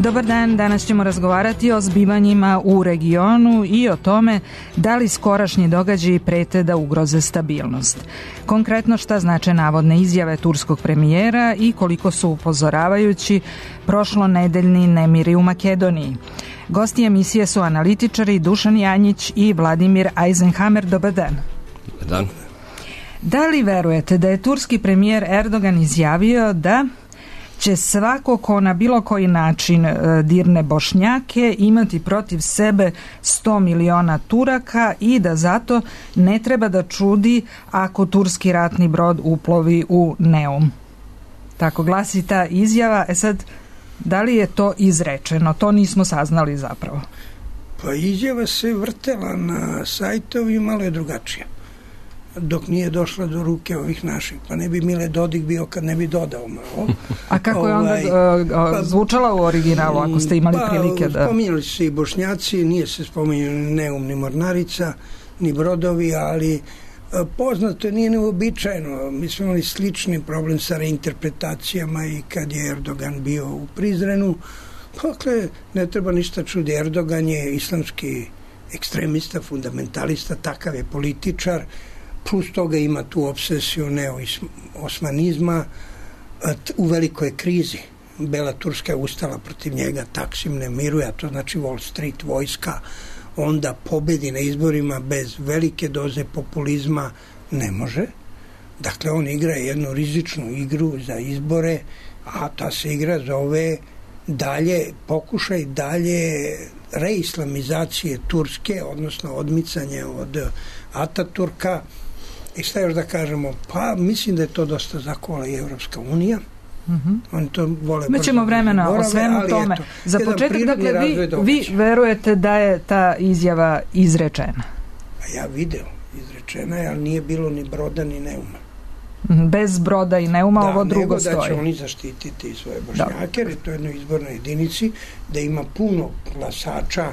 Dobar dan, danas ćemo razgovarati o zbivanjima u regionu i o tome da li skorašnji događaji prete da ugroze stabilnost. Konkretno šta znače navodne izjave turskog premijera i koliko su upozoravajući prošlonedeljni nemiri u Makedoniji. Gosti emisije su analitičari Dušan Janjić i Vladimir Eisenhammer. Dobar dan. Dobar dan. Da li verujete da je turski premijer Erdogan izjavio da će svako ko na bilo koji način dirne Bošnjake imati protiv sebe 100 miliona Turaka i da zato ne treba da čudi ako turski ratni brod uplovi u Neum? Tako glasi ta izjava. Sad, da li je to izrečeno? To nismo saznali zapravo. Pa izjava se vrtela na sajtovi, malo je drugačija. Dok nije došla do ruke ovih naših. Pa ne bi Mile Dodik bio kad ne bi dodao malo. A kako je onda zvučala u originalu, ako ste imali prilike da... Spominjali su se i Bošnjaci, nije se spominjali ni Neum, ni Mornarica, ni brodovi, ali poznato, nije neuobičajeno. Mi smo imali slični problem sa reinterpretacijama i kad je Erdogan bio u Prizrenu. Dakle, ne treba ništa čudi. Erdogan je islamski ekstremista, fundamentalista, takav je političar. Plus toga ima tu obsesiju neo-osmanizma. U velikoj krizi Bela Turska je ustala protiv njega, Taksim ne miruje, a to znači Wall Street vojska, onda pobedi na izborima bez velike doze populizma ne može. Dakle, on igra jednu rizičnu igru za izbore, a ta se igra zove pokušaj dalje reislamizacije Turske, odnosno odmicanje od Ataturka. I šta još da kažemo? Pa mislim da je to dosta zakola i Evropska unija. Oni to vole. Mi ćemo vremena o svemu tome. Za početak, dakle, vi verujete da je ta izjava izrečena? A ja video, izrečena je, ali nije bilo ni broda ni Neuma. Bez broda i Neuma ovo drugo stoji. Da, nego da će oni zaštititi svoje Bošnjake, jer je to jednoj izbornoj jedinici, da ima puno glasača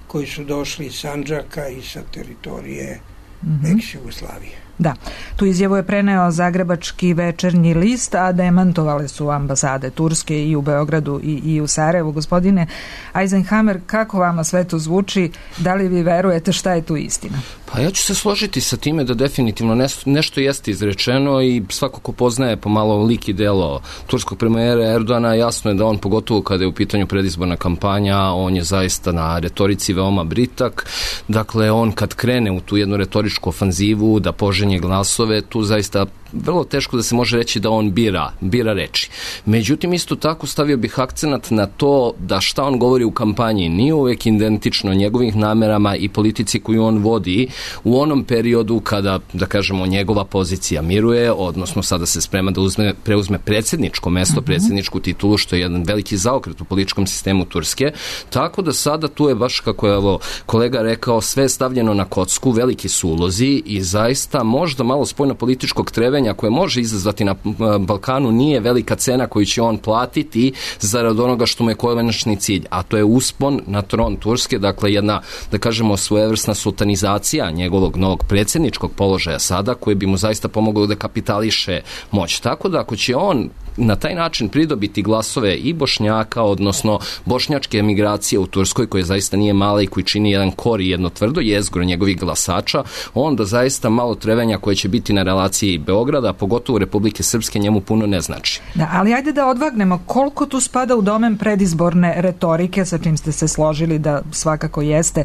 koji su došli iz Sandžaka i sa teritorije ex-Jugoslavije. Da, tu izjavu je preneo Zagrebački večernji list, a demantovale su ambasade Turske i u Beogradu i u Sarajevu. Gospodine Eisenhammer, kako vama sve to zvuči? Da li vi verujete šta je tu istina? Pa ja ću se složiti sa time da definitivno nešto jeste izrečeno i svako ko poznaje pomalo lik i delo turskog premijera Erdogana, jasno je da on, pogotovo kada je u pitanju predizborna kampanja, on je zaista na retorici veoma britak. Dakle, on kad krene u tu jednu retoričku ofanzivu da poženje glasove, tu zaista vrlo teško da se može reći da on bira reči. Međutim, isto tako stavio bih akcenat na to da šta on govori u kampanji nije uvek identično njegovih namerama i politici koju on vodi u onom periodu kada, da kažemo, njegova pozicija miruje, odnosno sada se sprema da preuzme predsjedničko mesto, predsjedničku titulu, što je jedan veliki zaokret u političkom sistemu Turske. Tako da sada tu je baš, kako je kolega rekao, sve stavljeno na kocku, veliki su ulozi i zaista možda malo spoljno-političkog trevenja koje može izazvati na Balkanu nije velika cena koju će on platiti zarad onoga što mu je konačni cilj, a to je uspon na tron Turske, dakle jedna, da kažemo, svojevrsna sultanizacija njegovog novog predsjedničkog položaja sada, koji bi mu zaista pomoglo da kapitališe moć. Tako da ako će on na taj način pridobiti glasove i Bošnjaka, odnosno bošnjačke emigracije u Turskoj, koje zaista nije mala i koji čini jedan kor i jedno tvrdo jezgro njegovih glasača, onda zaista malo trevenja koje će biti na relaciji Beograda, pogotovo Republike Srpske, njemu puno ne znači. Da, ali ajde da odvagnemo koliko tu spada u domen predizborne retorike, sa čim ste se složili da svakako jeste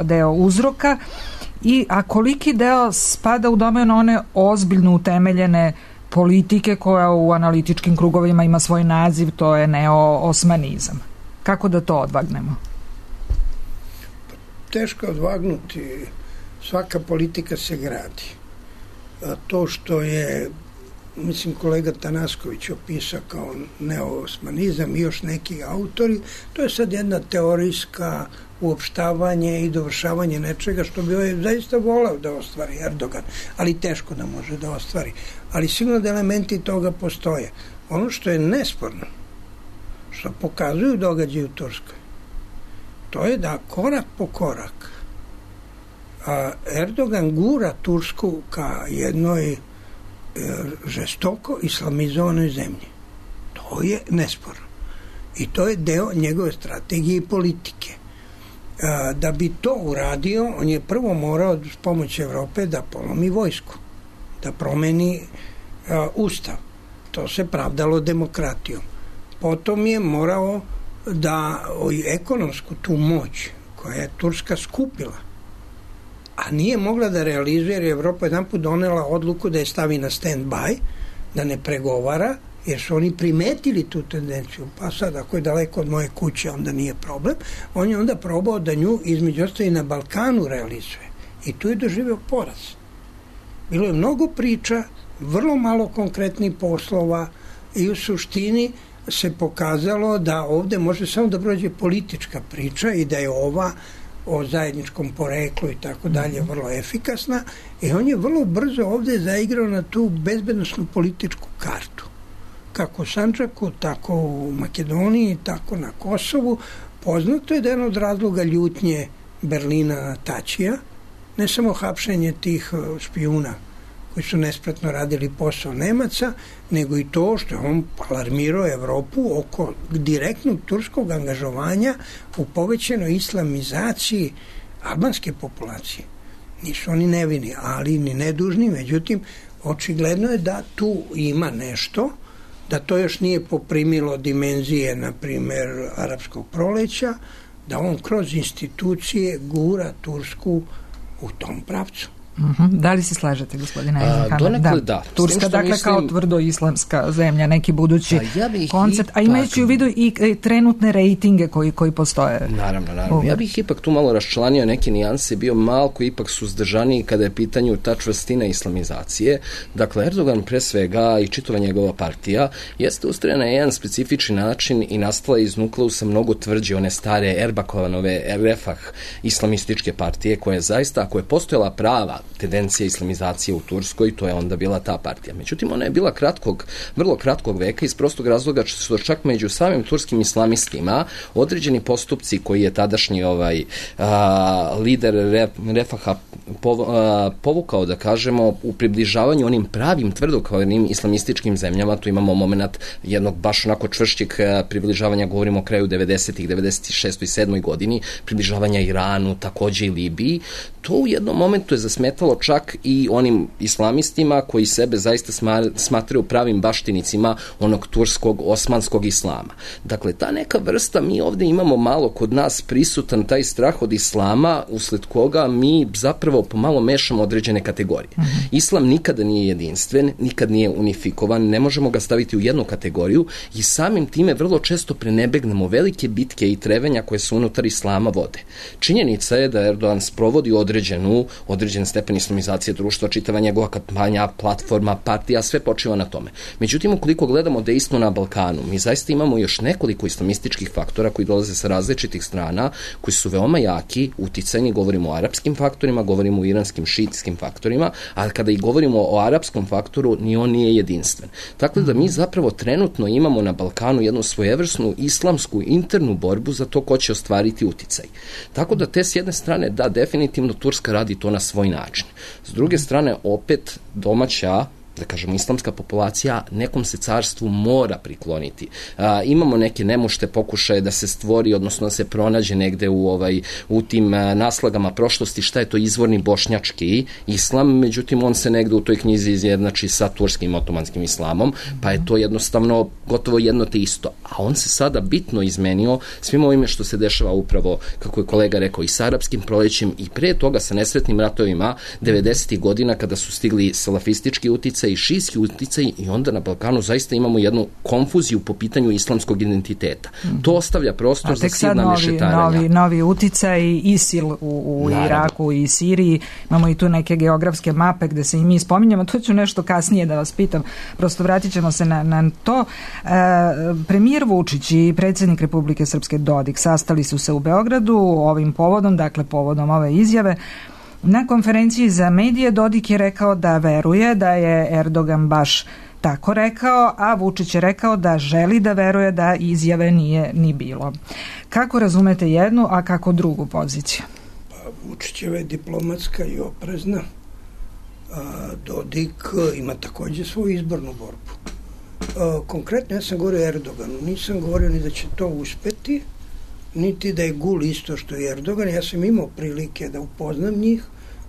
deo uzroka, a koliki deo spada u domen one ozbiljno utemeljene politike koja u analitičkim krugovima ima svoj naziv, to je neo-osmanizam. Kako da to odvagnemo? Teško odvagnuti. Svaka politika se gradi. To što je, mislim, kolega Tanasković opisao kao neo-osmanizam i još neki autori, to je sad jedna teorijska uopštavanje i dovršavanje nečega što bi ovaj zaista volao da ostvari Erdogan, ali teško da može da ostvari. Ali sigurno da elementi toga postoje. Ono što je nesporno, što pokazuju događaji u Turskoj, to je da korak po korak Erdogan gura Tursku ka jednoj žestoko islamizovanoj zemlji. To je nesporno. I to je deo njegove strategije i politike. Da bi to uradio, on je prvo morao s pomoć Evrope da polomi vojsku, da promeni ustav. To se pravdalo demokratijom. Potom je morao da ekonomsku tu moć koja je Turska skupila, a nije mogla da realizuje jer je Evropa jedanput donela odluku da je stavi na stand-by, da ne pregovara, jer su oni primetili tu tendenciju. Pa sad, ako je daleko od moje kuće, onda nije problem. On je onda probao da nju između ostali na Balkanu realizuje. I tu je doživeo poraz. Bilo je mnogo priča, vrlo malo konkretnih poslova i u suštini se pokazalo da ovde može samo da prođe politička priča i da je ova o zajedničkom poreklu i tako dalje vrlo efikasna i on je vrlo brzo ovde zaigrao na tu bezbednosnu političku kartu. Kako u Sandžaku, tako u Makedoniji, tako na Kosovu. Poznato je da je jedan od razloga ljutnje Berlina na Tačija, ne samo hapšenje tih špijuna koji su nespretno radili posao Nemaca, nego i to što je on alarmirao Evropu oko direktnog turskog angažovanja u povećenoj islamizaciji albanske populacije. Nisu oni nevini, ali ni nedužni, međutim, očigledno je da tu ima nešto, da to još nije poprimilo dimenzije, na primer, arapskog proleća, da on kroz institucije gura Tursku u tom pravcu. Da li se slažete, gospodine Erdogan? Donekle da. Turska, dakle, mislim, kao tvrdo islamska zemlja, neki budući koncept, a imajući u vidu i trenutne rejtinge koji postoje. Naravno. Ja bih ipak tu malo raščlanio neke nijanse, bio malko ipak suzdržaniji kada je pitanju ta čvrstina islamizacije. Dakle, Erdogan pre svega i čitava njegova partija jeste ustrojena na jedan specifični način i nastala iz nukleusa mnogo tvrđe one stare Erbakovanove Refah islamističke partije koja je zaista, ako je postojala prava tendencija islamizacije u Turskoj, to je onda bila ta partija. Međutim, ona je bila vrlo kratkog veka iz prostog razloga što su čak među samim turskim islamistima određeni postupci koji je tadašnji lider Refaha povukao, da kažemo, u približavanju onim pravim tvrdokornim islamističkim zemljama. Tu imamo moment jednog baš onako čvršćeg približavanja, govorimo o kraju 90-ih, 96. i 7. godini, približavanja Iranu, takođe i Libiji. To u jednom momentu je zasmetalo čak i onim islamistima koji sebe zaista smatraju pravim baštinicima onog turskog, osmanskog islama. Dakle, ta neka vrsta, mi ovde imamo malo kod nas prisutan taj strah od islama, usled koga mi zapravo pomalo mešamo određene kategorije. Islam nikada nije jedinstven, nikad nije unifikovan, ne možemo ga staviti u jednu kategoriju i samim time vrlo često prenebegnemo velike bitke i trevenja koje se unutar islama vode. Činjenica je da Erdogan sprovodi određen stepen islamizacije društva, čitava njegova kampanja, platforma, partija, sve počiva na tome. Međutim, ukoliko gledamo dejstvo na Balkanu, mi zaista imamo još nekoliko islamističkih faktora koji dolaze sa različitih strana, koji su veoma jaki, uticajni, govorimo o arapskim faktorima, govorimo o iranskim šiitskim faktorima, a kada i govorimo o arapskom faktoru, ni on nije jedinstven. Tako da mi zapravo trenutno imamo na Balkanu jednu svojevrsnu islamsku internu borbu za to ko će ostvariti uticaj. Tako da te s jedne strane, da, definitivno Turska radi to na svoj način. S druge strane, opet domaća, da kažemo, islamska populacija nekom se carstvu mora prikloniti. Imamo neke nemušte pokušaje da se stvori, odnosno da se pronađe negde u tim naslagama prošlosti šta je to izvorni bošnjački islam, međutim on se negde u toj knjizi izjednači sa turskim otomanskim islamom, pa je to jednostavno gotovo jedno te isto. A on se sada bitno izmenio svim ovime što se dešava upravo, kako je kolega rekao, i sa arapskim prolećem i pre toga sa nesretnim ratovima 90. godina kada su stigli salafistički uticaj i šijski uticaj i onda na Balkanu zaista imamo jednu konfuziju po pitanju islamskog identiteta. To ostavlja prostor za silna mešetarenja. Novi uticaj, ISIL u Iraku i Siriji, imamo i tu neke geografske mape gde se i mi spominjamo, to ću nešto kasnije da vas pitam, prosto vratit ćemo se na to. Premijer Vučić i predsjednik Republike Srpske Dodik sastali su se u Beogradu ovim povodom, dakle povodom ove izjave. Na konferenciji za medije Dodik je rekao da veruje da je Erdogan baš tako rekao, a Vučić je rekao da želi da veruje da izjave nije ni bilo. Kako razumete jednu, a kako drugu poziciju? Vučićeva je diplomatska i oprezna. Dodik ima takođe svoju izbornu borbu. Konkretno ja sam govorio o Erdoganu. Nisam govorio ni da će to uspeti, niti da je Gul isto što je Erdogan. Ja sam imao prilike da upoznam njih,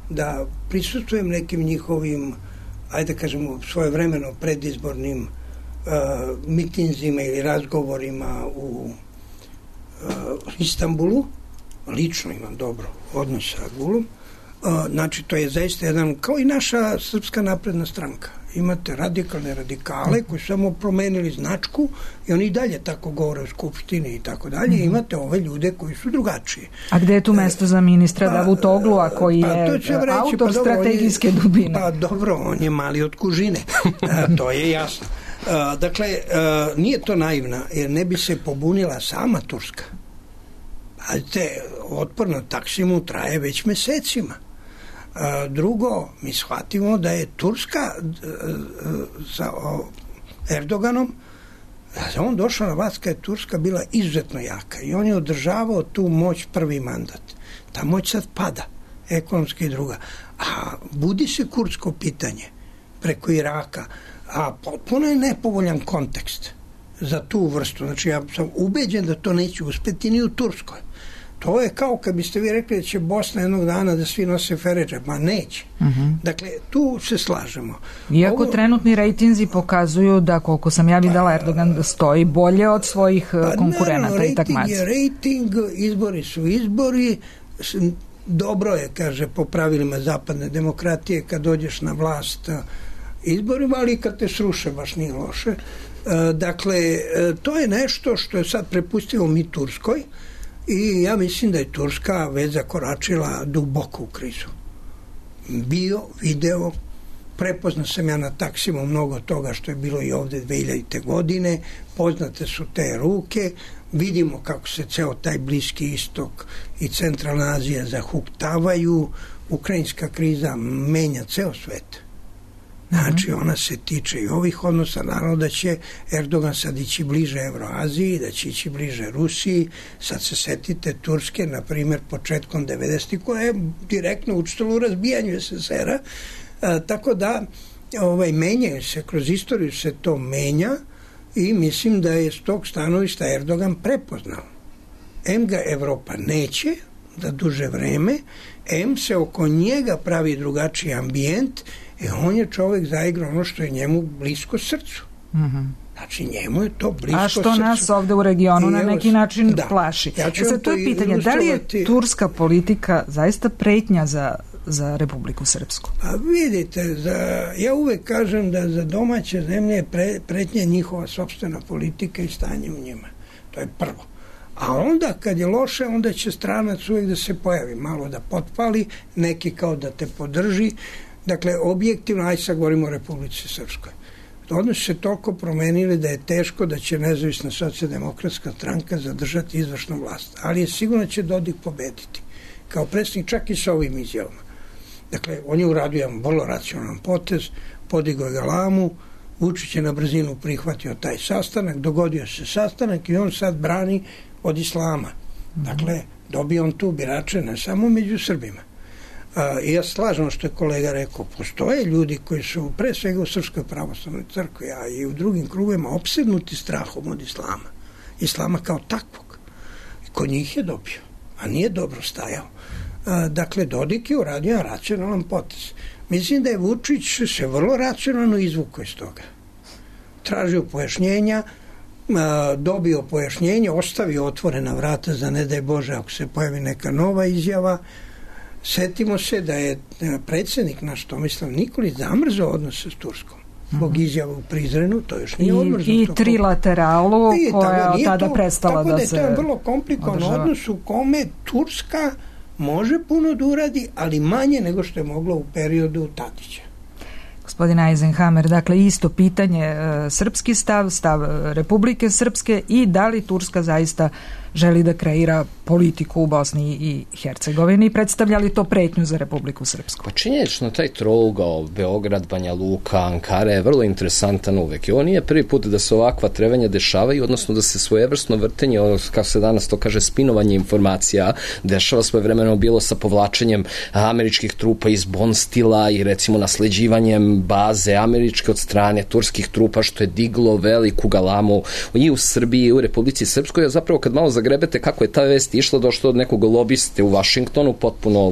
da prisustvujem nekim njihovim, ajde da kažemo, svojevremeno predizbornim mitinzima ili razgovorima u Istanbulu. Lično imam dobro odnos sa Gulom. Znači, to je zaista jedan, kao i naša Srpska napredna stranka. Imate radikalne radikale koji su samo promenili značku i oni i dalje tako govore u Skupštini i tako dalje. Imate ove ljude koji su drugačiji. A gde je tu mesto za ministra Davutoglua koji je autor strategijske dubine? Pa dobro, on je mali od kužine. To je jasno. Dakle, nije to naivna, jer ne bi se pobunila sama Turska. Pazite, otpor na Taksimu traje već mesecima. Drugo, mi shvatimo da je Turska sa Erdoganom, on došao na vlast kad je Turska bila izuzetno jaka i on je održavao tu moć prvi mandat. Ta moć sad pada, ekonomski i druga. A budi se kurdsko pitanje preko Iraka, a potpuno je nepovoljan kontekst za tu vrstu. Znači, ja sam ubeđen da to neće uspeti ni u Turskoj. To je kao kad biste vi rekli da će Bosna jednog dana da svi nose feređe. Ma neće. Dakle, tu se slažemo. Iako trenutni rejtinzi pokazuju da, koliko sam ja videla, Erdogan da stoji bolje od svojih konkurenata i takmaca. Rejting, izbori su izbori. Dobro je, kaže, po pravilima zapadne demokratije kad dođeš na vlast izborima, ali kad te sruše baš nije loše. Dakle, to je nešto što je sad prepustilo mi Turskoj i ja mislim da je Turska već zakoračila duboko u krizu. Bio, video, prepoznao sam ja na Taksimu mnogo toga što je bilo i ovde 2000. godine, poznate su te ruke, vidimo kako se ceo taj Bliski istok i Centralna Azija zahuktavaju, ukrajinska kriza menja ceo svet. Znači, ona se tiče i ovih odnosa, naravno da će Erdogan sad ići bliže Evroaziji, da će ići bliže Rusiji, sad se setite Turske, na primjer, početkom 90. koja je direktno učestvovala u razbijanju SSR-a, tako da menjaju se, kroz istoriju se to menja i mislim da je s tog stanovišta Erdogan prepoznao. Em ga Evropa neće da duže vreme, em se oko njega pravi drugačiji ambijent. On je čovjek zaigrao ono što je njemu blisko srcu. Znači, njemu je to blisko srcu. A što nas ovde u regionu na neki način plaši. Sad, to je pitanje, da li je turska politika zaista pretnja za Republiku Srpsku? Pa vidite, ja uvek kažem da za domaće zemlje je pretnja njihova sopstvena politika i stanje u njima. To je prvo. A onda, kad je loše, onda će stranac uvek da se pojavi, malo da potpali, neki kao da te podrži. Dakle, objektivno, aj sad govorimo o Republici Srpskoj. Odnosi se toliko promenili da je teško da će nezavisna socijaldemokratska stranka zadržati izvršnu vlast. Ali je sigurno će Dodik pobediti. Kao predsjednik, čak i sa ovim izjavama. Dakle, on je uradio jedan vrlo racionalan potez, podigao galamu, Vučić je na brzinu prihvatio taj sastanak, dogodio se sastanak i on sad brani od islama. Dakle, dobio on tu birače ne samo među Srbima. I ja slažem što je kolega rekao, postoje ljudi koji su pre svega u Srpskoj pravoslavnoj crkvi, a i u drugim krugovima opsednuti strahom od islama. Islama kao takvog. I kod njih je dobio, a nije dobro stajao. Dakle, Dodik je uradio racionalan potez. Mislim da je Vučić se vrlo racionalno izvukao iz toga. Tražio pojašnjenja, dobio pojašnjenje, ostavio otvorena vrata za ne daj Bože ako se pojavi neka nova izjava. Setimo se da je predsjednik naš Tomislav Nikolić zamrzao odnose s Turskom. Zbog izjava u Prizrenu, to još nije odmrzno. I trilateralu koja je tada prestala da se... Tako da je to vrlo komplikovan odnos u kome Turska može puno da uradi, ali manje nego što je moglo u periodu Tadića. Gospodin Eisenhammer, dakle isto pitanje, srpski stav Republike Srpske i da li Turska zaista želi da kreira politiku u Bosni i Hercegovini i predstavlja li to pretnju za Republiku Srpsku? Pa činjenično taj trougao Beograd, Banja Luka, Ankara je vrlo interesantan uvek i ovo nije prvi put da se ovakva trevanja dešavaju, odnosno da se svojevrsno vrtenje, kako se danas to kaže, spinovanje informacija dešava svojevremeno bilo sa povlačenjem američkih trupa iz Bonstila i recimo nasleđivanjem baze američke od strane turskih trupa, što je diglo veliku galamu i u Srbiji i u Republici Srpskoj, a zapravo kad malo zagrebete kako je ta vest išla, došlo od nekog lobiste u Vašingtonu, potpuno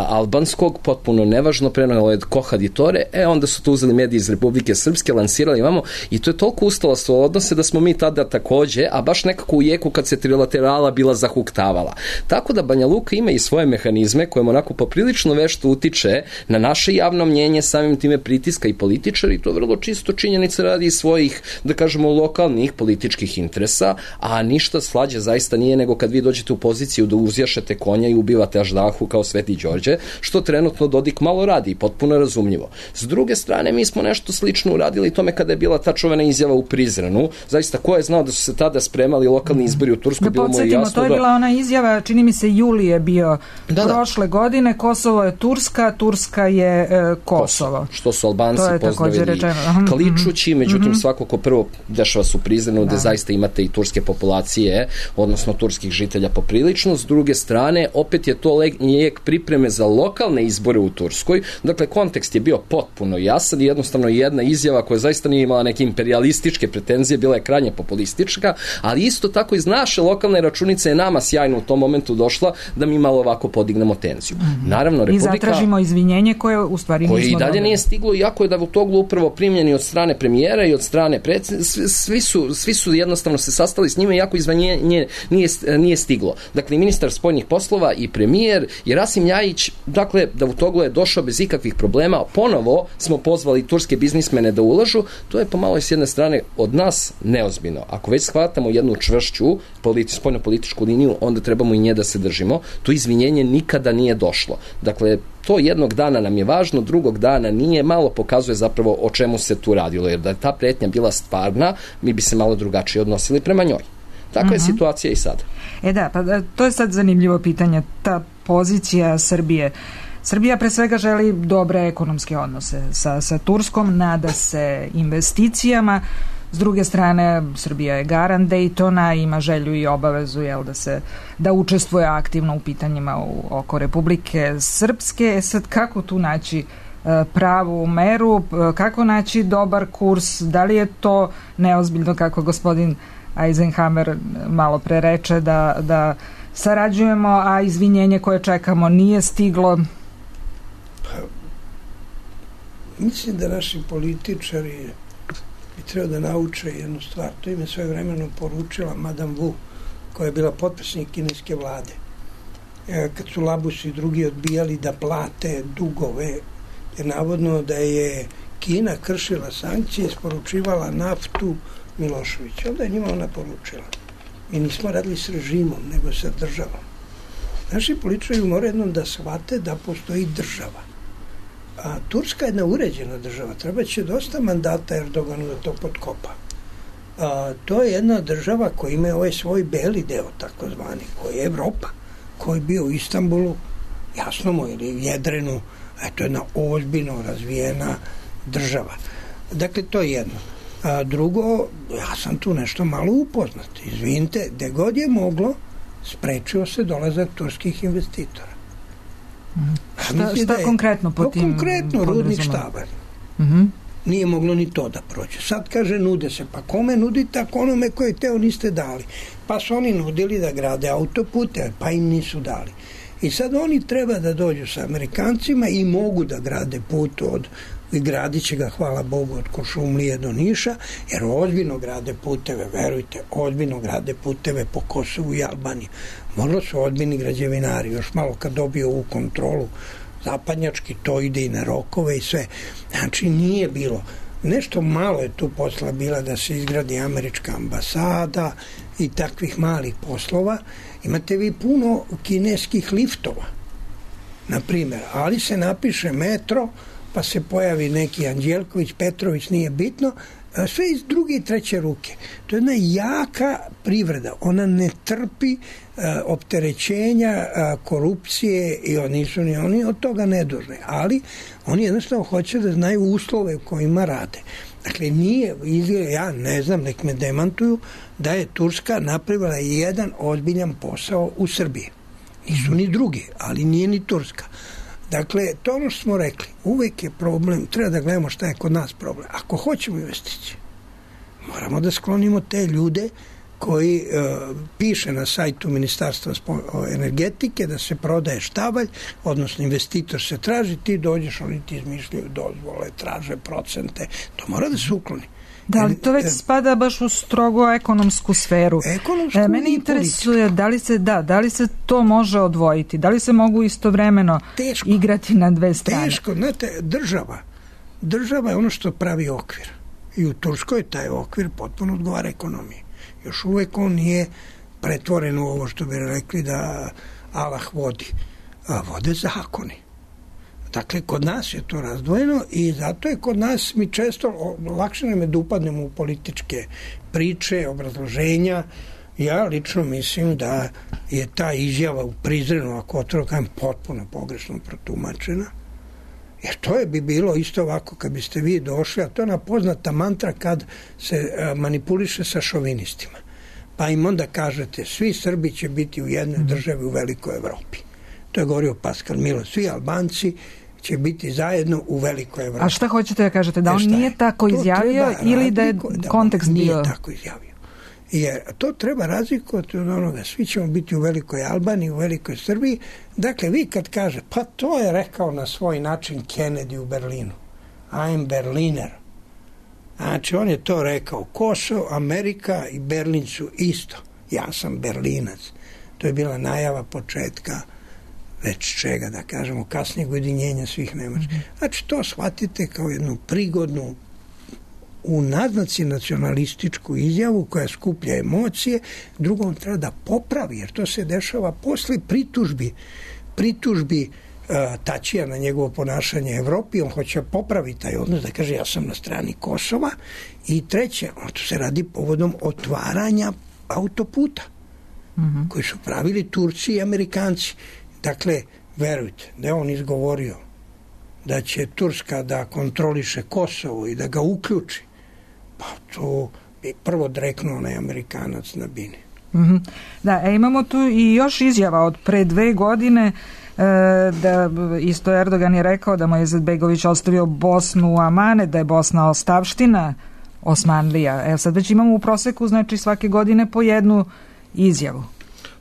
albanskog, potpuno nevažno, preneo je Kohaditore, onda su to uzeli mediji iz Republike Srpske, lansirali imamo i to je toliko ustalo svoje odnose da smo mi tada takođe, a baš nekako u jeku kad se trilaterala bila zahuktavala. Tako da Banja Luka ima i svoje mehanizme kojim onako poprilično vešto utiče na naše javno mnjenje, samim time pritiska i političari, to vrlo čisto činjenica radi svojih, da kažemo, lokalnih političkih interesa, a ništa slađe zaista nije nego kad vi dođete u poziciju da uzjašete konja i ubivate Aždahu kao Sveti Đorđe, što trenutno Dodik malo radi i potpuno razumljivo. S druge strane, mi smo nešto slično uradili tome kada je bila ta čuvena izjava u Prizrenu. Zaista, ko je znao da su se tada spremali lokalni izbori u Turskoj? Da podsjetimo, to je bila ona izjava, čini mi se juli je bio prošle godine, Kosovo je Turska, Turska je Kosovo. Što su Albanci pozdravili kličući, međutim svako ko prvo dešava se u Prizrenu, gde zaista imate i turske populacije, odnosno turskih žitelja poprilično. S druge strane, opet je to lijek pripreme za lokalne izbore u Turskoj. Dakle, kontekst je bio potpuno jasan i jednostavno jedna izjava koja zaista nije imala neke imperialističke pretenzije, bila je krajnje populistička, ali isto tako iz naše lokalne računice je nama sjajno u tom momentu došla da mi malo ovako podignemo tenziju. Naravno, Republika... I zatražimo izvinjenje koje u stvari nismo koje i dalje nije stiglo, iako je Davutoglu upravo primljeni od strane premijera i od strane svi su jednostavno se sastali s njime, iako izvinjenje nije stiglo. Dakle, ministar spoljnih poslova i premijer i Rasim Ljajić, dakle, Davutoglu je došao bez ikakvih problema, ponovo smo pozvali turske biznismene da ulažu, to je pomalo s jedne strane od nas neozbiljno. Ako već shvatamo jednu čvršću spoljno-političku liniju, onda trebamo i nje da se držimo. To izvinjenje nikada nije došlo. Dakle, to jednog dana nam je važno, drugog dana nije, malo pokazuje zapravo o čemu se tu radilo, jer da je ta pretnja bila stvarna, mi bi se malo drugačije odnosili prema njoj. Takva je situacija i sad. Pa to je sad zanimljivo pitanje, ta pozicija Srbije. Srbija pre svega želi dobre ekonomske odnose sa Turskom, nada se investicijama. S druge strane, Srbija je garant Daytona, ima želju i obavezu da učestvuje aktivno u pitanjima oko Republike Srpske. Sad, kako tu naći pravu meru, kako naći dobar kurs, da li je to neozbiljno, kako gospodin Eisenhammer malo pre reče, da sarađujemo, a izvinjenje koje čekamo nije stiglo? Mislim da naši političari bi trebao da nauče jednu stvar. To im je sve vremeno poručila Madame Wu, koja je bila potpredsjednik kineske vlade. Kad su Labus i drugi odbijali da plate dugove, jer navodno da je Kina kršila sankcije, isporučivala naftu Miloševića. Onda je njima ona poručila. Mi nismo radili s režimom, nego sa državom. Naši političari moraju jednom da shvate da postoji država. A Turska je jedna uređena država. Treba će dosta mandata Erdoganu da to potkopa. To je jedna država koja ima ovaj svoj beli deo, takozvani, koji je Evropa, koji je bio u Istanbulu, jasno mu, ili Jedrenu, to je jedna ozbiljno razvijena država. Dakle, to je jedno. A drugo, ja sam tu nešto malo upoznat. Izvinite, gde god je moglo, sprečio se dolazak turskih investitora. Šta konkretno po tim? Konkretno, rudnik Štabar. Nije moglo ni to da prođe. Sad kaže, nude se. Pa kome nudite, ako onome koje teo niste dali? Pa su oni nudili da grade autopute, pa im nisu dali. I sad oni treba da dođu sa Amerikancima i mogu da grade put i gradit će ga, hvala Bogu, od Kuršumlije do Niša, jer ozbiljno grade puteve, verujte, ozbiljno grade puteve po Kosovu i Albaniji. Možda su ozbiljni građevinari, još malo kad dobiju ovu kontrolu zapadnjački, to ide i na rokove i sve. Znači, nije bilo. Nešto malo je tu posla bila da se izgradi američka ambasada i takvih malih poslova. Imate vi puno kineskih liftova, na primjer, ali se napiše metro, pa se pojavi neki Anđelković, Petrović, nije bitno, sve iz druge i treće ruke. To je jedna jaka privreda. Ona ne trpi opterećenja, korupcije i oni od toga nedužni. Ali oni jednostavno hoće da znaju uslove u kojima rade. Dakle, ja ne znam, nek me demantuju, da je Turska napravila jedan ozbiljan posao u Srbiji. Nisu ni drugi, ali nije ni Turska. Dakle, to ono što smo rekli, uvek je problem, treba da gledamo šta je kod nas problem. Ako hoćemo investicije, moramo da sklonimo te ljude koji piše na sajtu Ministarstva energetike da se prodaje štabalj, odnosno investitor se traži, ti dođeš, oni ti izmišljaju dozvole, traže procente, to mora da se ukloni. Da, ali to već spada baš u strogo ekonomsku sferu. Mene interesuje da li se to može odvojiti, da li se mogu istovremeno igrati na dve strane. Teško, znate, država je ono što pravi okvir. I u Turskoj taj okvir potpuno odgovara ekonomiji. Još uvek on nije pretvoren u ovo što bi rekli da Allah vodi. A vode zakoni. Dakle, kod nas je to razdvojeno i zato je kod nas mi često lakše nam je da upadnemo u političke priče, obrazloženja. Ja lično mislim da je ta izjava u Prizrenu, ako otvoreno kažem, potpuno pogrešno protumačena. Jer to bi bilo isto ovako kad biste vi došli, a to je ona poznata mantra kad se manipuliše sa šovinistima. Pa im onda kažete, svi Srbi će biti u jednoj državi u velikoj Evropi. To je govorio Pascal Milo. Svi Albanci će biti zajedno u velikoj Evropi. A šta hoćete da kažete? Da on nije tako izjavio ili da je kontekst bio? Nije tako izjavio. Jer to treba razlikovati od onoga. Svi ćemo biti u velikoj Albaniji, u velikoj Srbiji. Dakle, vi kad kaže, pa to je rekao na svoj način Kennedy u Berlinu. I'm Berliner. Znači, on je to rekao. Kosovo, Amerika i Berlin su isto. Ja sam Berlinac. To je bila najava početka već čega, da kažemo, kasnijeg ujedinjenja svih Nemačkih. Znači, to shvatite kao jednu prigodnu u naznaci nacionalističku izjavu koja skuplja emocije, drugom treba da popravi, jer to se dešava posle pritužbi Tačija na njegovo ponašanje Evropi, on hoće popraviti taj odnos, da kaže ja sam na strani Kosova, i treće, to se radi povodom otvaranja autoputa, koji su pravili Turci i Amerikanci. Dakle, verujte, da je on izgovorio da će Turska da kontroliše Kosovo i da ga uključi, pa to bi prvo dreknuo onaj Amerikanac na bini. Da, imamo tu i još izjava od pre 2 godine, da isto Erdogan je rekao da mu je Izetbegović ostavio Bosnu u amane, da je Bosna ostavština Osmanlija. Sad već imamo u proseku, znači svake godine po jednu izjavu.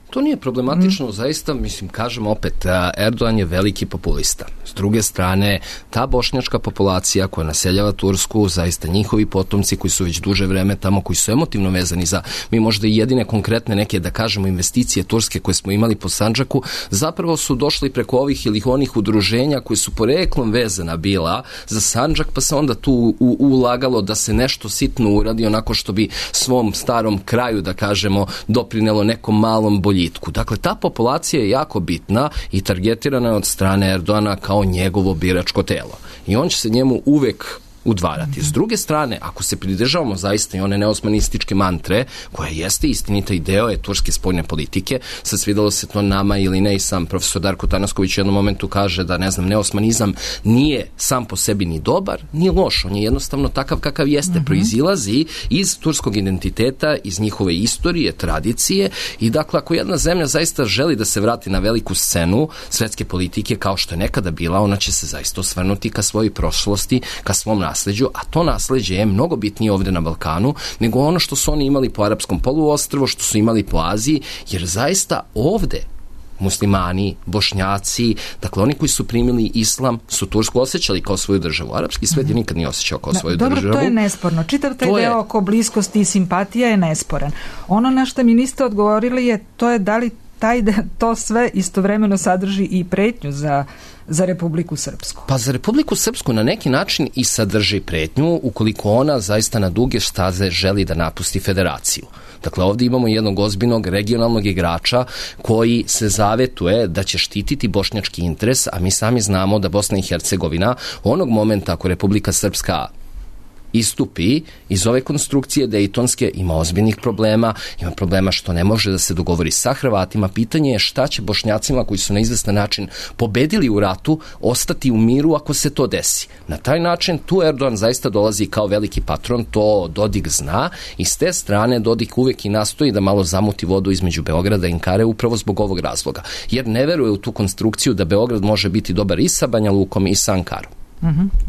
To nije problematično, zaista, mislim, kažem opet, Erdogan je veliki populista. S druge strane, ta bošnjačka populacija koja naseljava Tursku, zaista njihovi potomci koji su već duže vreme tamo, koji su emotivno vezani za, mi možda i jedine konkretne neke, da kažemo, investicije turske koje smo imali po Sandžaku, zapravo su došli preko ovih ili onih udruženja koji su poreklom vezana bila za Sandžak, pa se onda tu ulagalo da se nešto sitno uradi, onako što bi svom starom kraju, da kažemo, doprinelo nekom malom boljitku. Dakle, ta populacija je jako bitna i targetirana je od strane Erdogana kao njegovo biračko telo. I on će se njemu uvek udvarati. S druge strane, ako se pridržavamo zaista i one neosmanističke mantre, koja jeste istinita i deo je turske spoljne politike, sad svidalo se to nama ili ne, i sam profesor Darko Tanasković u jednom momentu kaže da, ne znam, neosmanizam nije sam po sebi ni dobar, ni loš, on je jednostavno takav kakav jeste, proizilazi iz turskog identiteta, iz njihove istorije, tradicije, i dakle, ako jedna zemlja zaista želi da se vrati na veliku scenu svetske politike, kao što je nekada bila, ona će se zaista osvrnuti ka svojoj prošlosti, ka svom nasleđu, a to nasleđe je mnogo bitnije ovde na Balkanu nego ono što su oni imali po arapskom poluostrvu, što su imali po Aziji, jer zaista ovde muslimani, bošnjaci, dakle oni koji su primili islam su Tursku osjećali kao svoju državu. Arapski svet je nikad nije osjećao kao svoju državu. Dobro, to je nesporno. Čitav taj deo oko bliskosti i simpatija je nesporan. Ono na što mi niste odgovorili to je da li to sve istovremeno sadrži i pretnju za Republiku Srpsku. Pa za Republiku Srpsku na neki način i sadrži pretnju ukoliko ona zaista na duge staze želi da napusti federaciju. Dakle, ovdje imamo jednog ozbiljnog regionalnog igrača koji se zavetuje da će štititi bošnjački interes, a mi sami znamo da Bosna i Hercegovina onog momenta ako Republika Srpska istupi iz ove konstrukcije dejtonske, ima ozbiljnih problema, ima problema što ne može da se dogovori sa Hrvatima. Pitanje je šta će Bošnjacima koji su na izvestan način pobedili u ratu ostati u miru ako se to desi. Na taj način tu Erdogan zaista dolazi kao veliki patron, to Dodik zna i s te strane Dodik uvek i nastoji da malo zamuti vodu između Beograda i Ankare upravo zbog ovog razloga. Jer ne veruje u tu konstrukciju da Beograd može biti dobar i sa Banja Lukom i sa Ankarom.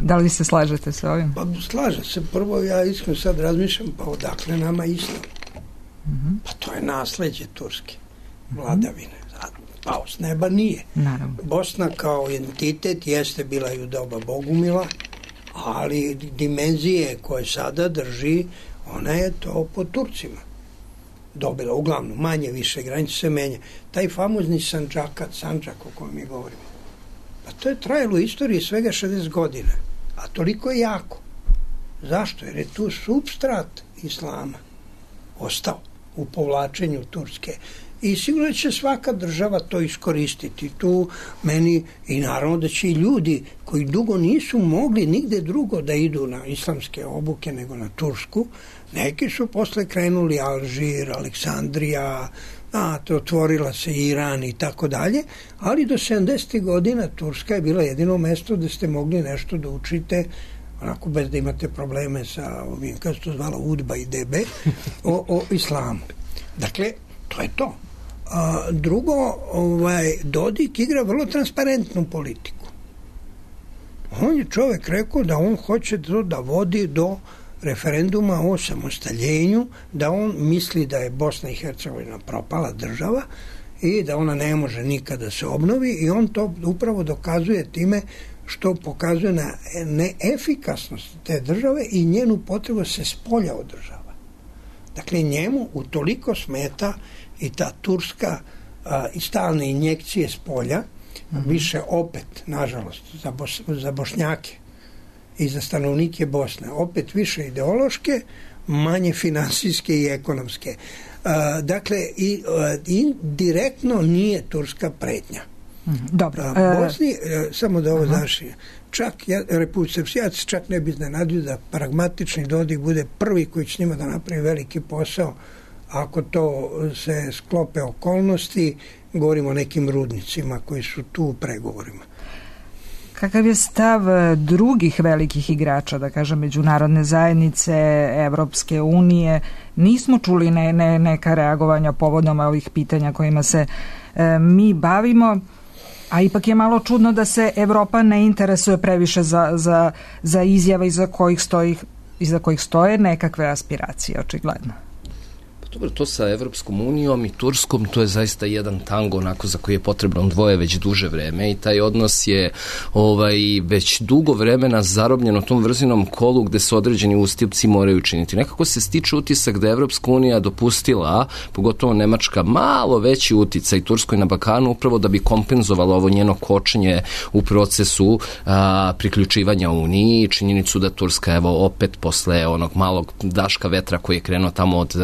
Da li se slažete sa ovim? Pa slažem se. Prvo ja iskreno sad razmišljam, pa odakle nama islam? Pa to je nasleđe turske vladavine. Pa s neba nije. Naravno. Bosna kao entitet jeste bila i u doba Bogumila, ali dimenzije koje sada drži, ona je to po Turcima dobila. Uglavnom, manje više, granice se menja. Taj famozni Sandžak o kojem mi govorimo, pa to je trajalo u istoriji svega 60 godina. A toliko je jako. Zašto? Jer je tu supstrat islama ostao u povlačenju Turske. I sigurno će svaka država to iskoristiti. Tu meni i naravno da će i ljudi koji dugo nisu mogli nigde drugo da idu na islamske obuke nego na Tursku, neki su posle krenuli Alžir, Aleksandrija, otvorila se Iran i tako dalje, ali do 70. godina Turska je bila jedino mesto da ste mogli nešto da učite onako bez da imate probleme sa ovim, kako se to zvala, UDBA i DB, o islamu. Dakle, to je to. Drugo, Dodik igra vrlo transparentnu politiku. On je čovjek rekao da on hoće da vodi do referenduma o samostaljenju, da on misli da je Bosna i Hercegovina propala država i da ona ne može nikada se obnovi i on to upravo dokazuje time što pokazuje na neefikasnost te države i njenu potrebu se spolja održava. Dakle, njemu utoliko smeta i ta turska i stalne injekcije spolja, više opet, nažalost, za Bošnjake i za stanovnike Bosne, opet više ideološke, manje finansijske i ekonomske. Dakle, i direktno nije turska pretnja. Dobro. Bosni, samo da ovo završim, Republika Srpska čak ne bi iznenadio da pragmatični Dodik bude prvi koji će njima da napravi veliki posao ako to se sklope okolnosti, govorimo o nekim rudnicima koji su tu u pregovorima. Kakav je stav drugih velikih igrača, da kažem, međunarodne zajednice, Evropske unije? Nismo čuli neka reagovanja povodom ovih pitanja kojima se mi bavimo, a ipak je malo čudno da se Evropa ne interesuje previše za izjave iza kojih stoje nekakve aspiracije, očigledno. Dobro, to sa Evropskom unijom i Turskom, to je zaista jedan tango onako za koji je potrebno dvoje već duže vreme i taj odnos je već dugo vremena zarobljen u tom vrzinom kolu gde se određeni ustupci moraju činiti. Nekako se stiče utisak da je Evropska unija dopustila, pogotovo Nemačka, malo veći uticaj Turskoj na Balkanu upravo da bi kompenzovala ovo njeno kočenje u procesu priključivanja Uniji i činjenicu da Turska, evo, opet posle onog malog daška vetra koji je krenuo tamo od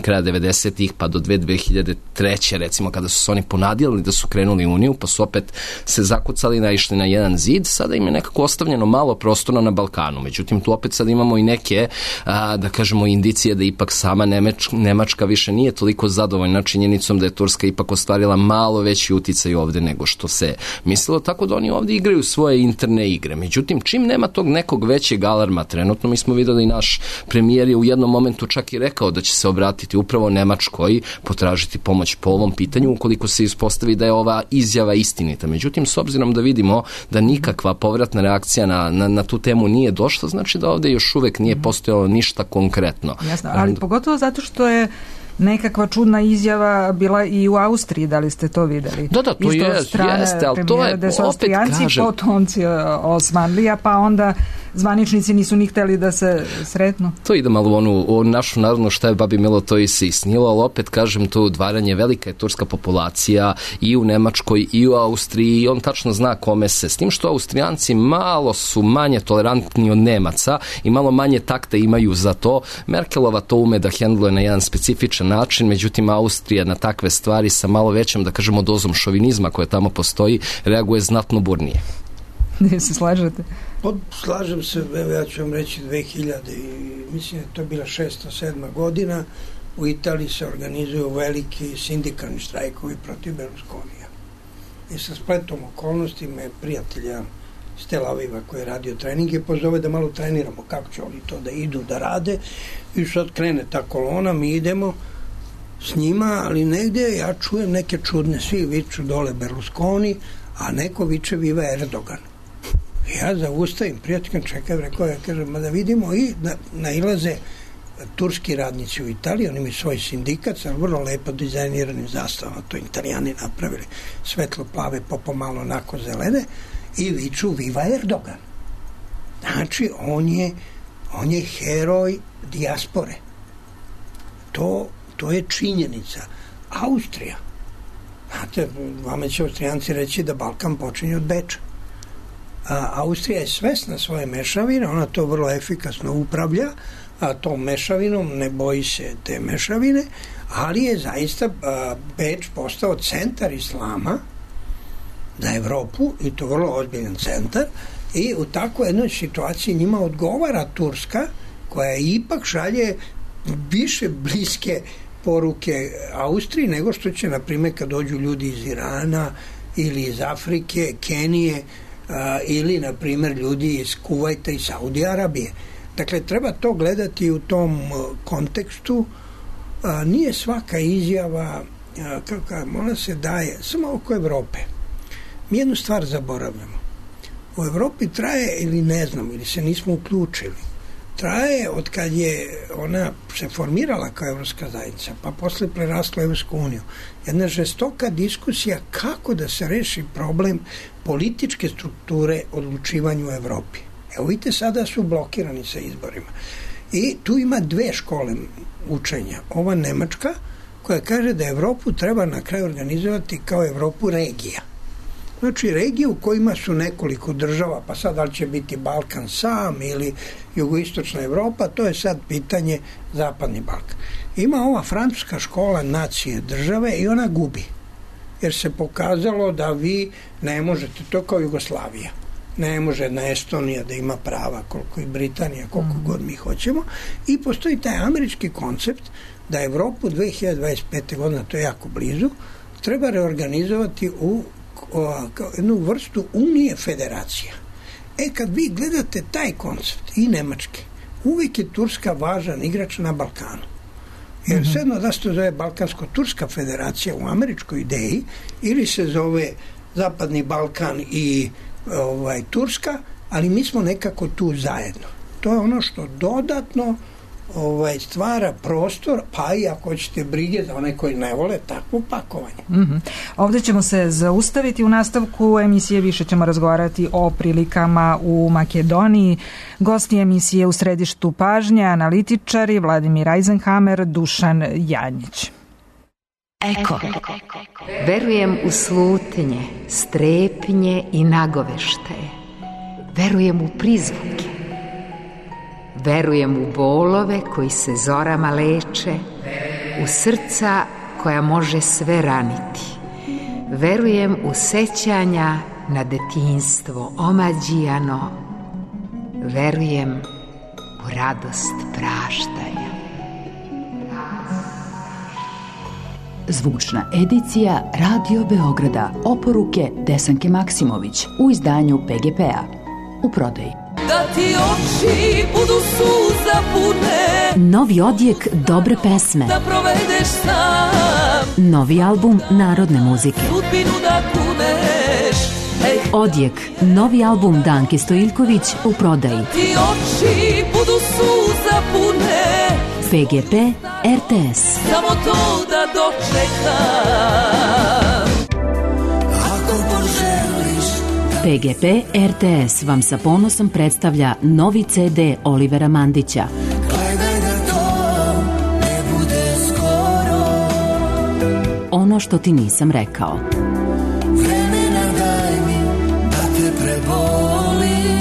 kraja 90-ih pa do 2003. recimo kada su se oni ponadijali da su krenuli u Uniju pa su opet se zakucali, naišli na jedan zid, sada im je nekako ostavljeno malo prostora na Balkanu. Međutim, tu opet sad imamo i neke, da kažemo, indicije da ipak sama Nemačka više nije toliko zadovoljna činjenicom da je Turska ipak ostvarila malo veći uticaj ovde nego što se mislilo, tako da oni ovde igraju svoje interne igre. Međutim, čim nema tog nekog većeg alarma trenutno, mi smo videli, naš premijer je u jednom momentu čak i rekao da će se obratiti upravo Nemačkoj, potražiti pomoć po ovom pitanju ukoliko se ispostavi da je ova izjava istinita. Međutim, s obzirom da vidimo da nikakva povratna reakcija na tu temu nije došla, znači da ovde još uvek nije postojalo ništa konkretno. Jasno, ali pogotovo zato što je nekakva čudna izjava bila i u Austriji, da li ste to videli? Da, to jeste, ali to je, da su Austrijanci potomci Osmanlija, pa onda zvaničnici nisu ni hteli da se sretnu. To ide malo u našu narodnu šta je babi Milo, to i se isnilo, ali opet kažem, to udvaranje, velika je turska populacija i u Nemačkoj i u Austriji i on tačno zna kome se, s tim što Austrijanci malo su manje tolerantni od Nemaca i malo manje takta imaju za to. Merkelova to ume da hendluje na jedan specifičan način, međutim Austrija na takve stvari sa malo većom, da kažemo, dozom šovinizma koja tamo postoji, reaguje znatno burnije. Ne se slažete? Slažem se, ja ću vam reći 2000 i mislim da je to bila 6-7 godina, u Italiji se organizuju veliki sindikalni štrajkovi protiv Berlusconija. I sa spletom okolnosti me prijatelja iz Tel Aviva koji je radio treninge pozove da malo treniramo kako će oni to da idu da rade i sad krene ta kolona, mi idemo s njima, ali negde ja čujem neke čudne, svi viču dole Berlusconi, a neko viče viva Erdogan. Ja zaustavim, prijatelj čekaj, rekao, ja kažem, da vidimo i nailaze turski radnici u Italiji, oni imaju svoj sindikat sa vrlo lepo dizajniranim zastavama, to Italijani napravili, svetlo plave, pomalo onako zelene, i viču viva Erdogan. Znači, on je heroj dijaspore. To je činjenica. Austrija. Znate, vama će Austrijanci reći da Balkan počinje od Beča. Austrija je svesna svoje mešavine, ona to vrlo efikasno upravlja, a tom mešavinom ne boji se te mešavine, ali je zaista Beč postao centar islama za Evropu, i to vrlo ozbiljan centar, i u takvoj jednoj situaciji njima odgovara Turska, koja ipak šalje više bliske poruke Austriji nego što će, na primjer, kad dođu ljudi iz Irana ili iz Afrike, Kenije, ili, na primjer, ljudi iz Kuvajta i Saudije Arabije. Dakle, treba to gledati u tom kontekstu. Nije svaka izjava, ona se daje samo oko Evrope. Mi jednu stvar zaboravljamo. U Evropi traje, ili ne znam, ili se nismo uključili, traje od kad je ona se formirala kao evropska zajednica, pa posle prerasla Evropsku uniju, jedna žestoka diskusija kako da se reši problem političke strukture odlučivanja u Evropi. Evo vidite, sada su blokirani sa izborima. I tu ima dve škole učenja. Ova nemačka, koja kaže da Evropu treba na kraju organizovati kao Evropu regija. Znači, regije u kojima su nekoliko država, pa sad da li će biti Balkan sam ili jugoistočna Evropa, to je sad pitanje zapadni Balkan. Ima ova francuska škola nacije države i ona gubi. Jer se pokazalo da vi ne možete, to kao Jugoslavija. Ne može jedna Estonija da ima prava koliko i Britanija, koliko god mi hoćemo. I postoji taj američki koncept da Evropu 2025. godina, to je jako blizu, treba reorganizovati u jednu vrstu unije federacija. Kad vi gledate taj koncept i nemački, uvijek je Turska važan igrač na Balkanu. Jer sedno da se to zove Balkansko-Turska federacija u američkoj ideji, ili se zove Zapadni Balkan i Turska, ali mi smo nekako tu zajedno. To je ono što dodatno stvara prostor, pa i ako hoćete brige za one koji ne vole takvo pakovanje. Ovdje ćemo se zaustaviti. U nastavku emisije više ćemo razgovarati o prilikama u Makedoniji. Gosti emisije u središtu pažnje, analitičari Vladimir Eisenhammer, Dušan Janjić. Eko. Verujem u slutnje, strepnje i nagoveštaje. Verujem u prizvuke. Verujem u bolove koji se zorama leče, u srca koja može sve raniti. Verujem u sećanja na detinjstvo omađijano. Verujem u radost praštanja. Zvučna edicija Radio Beograda. Oporuke Desanke Maksimović u izdanju PGP-a. U prodaji. Da ti oči budu suza pune, novi odjek dobre pesme, da provedeš sam, novi album narodne muzike, sudbinu da kuneš. Odjek, novi album Danke Stojiljković u prodaji. Da ti oči budu suza pune, PGP RTS. Samo to da dočekam. PGP RTS vam sa ponosom predstavlja novi CD Olivera Mandića. Gledaj da to ne bude skoro. Ono što ti nisam rekao. Vremena daj mi da te prebolim.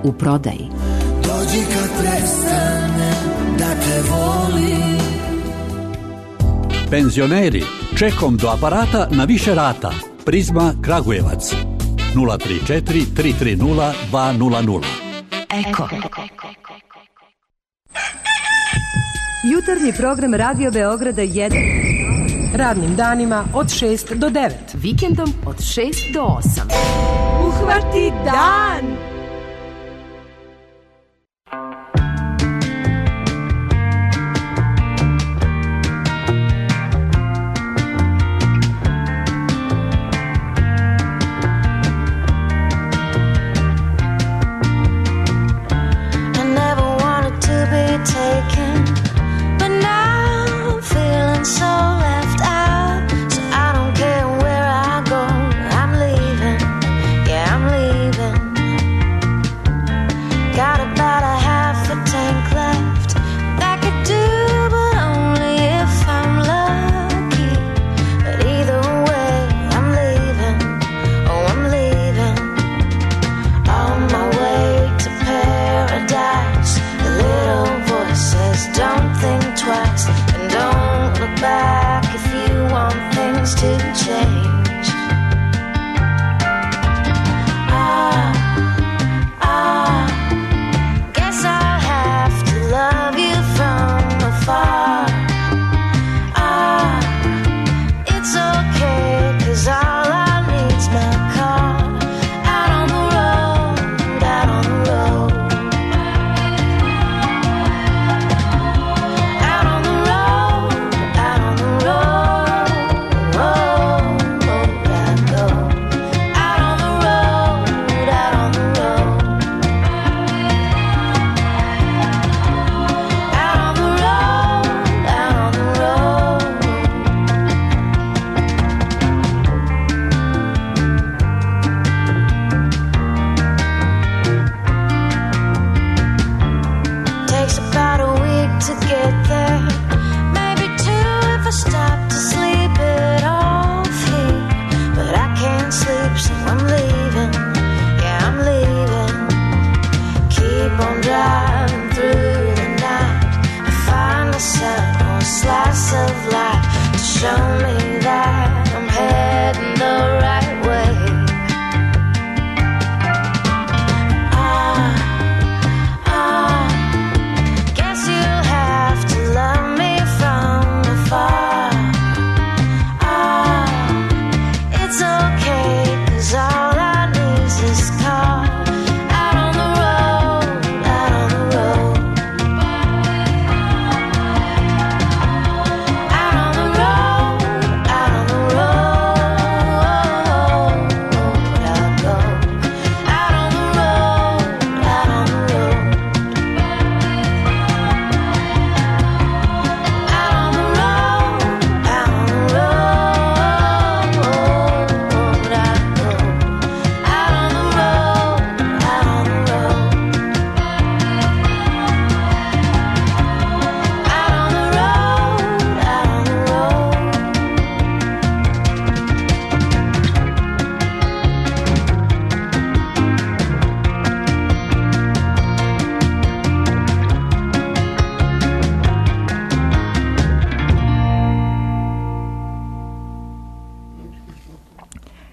U prodaji. Dođi kad prestane da te volim. Penzioneri, čekom do aparata na više rata. Prizma Kragujevac. 034 330 200. Eko. Jutarnji program Radio Beograda 1. Radnim danima od 6 do 9. Vikendom od 6 do 8. Uhvati dan!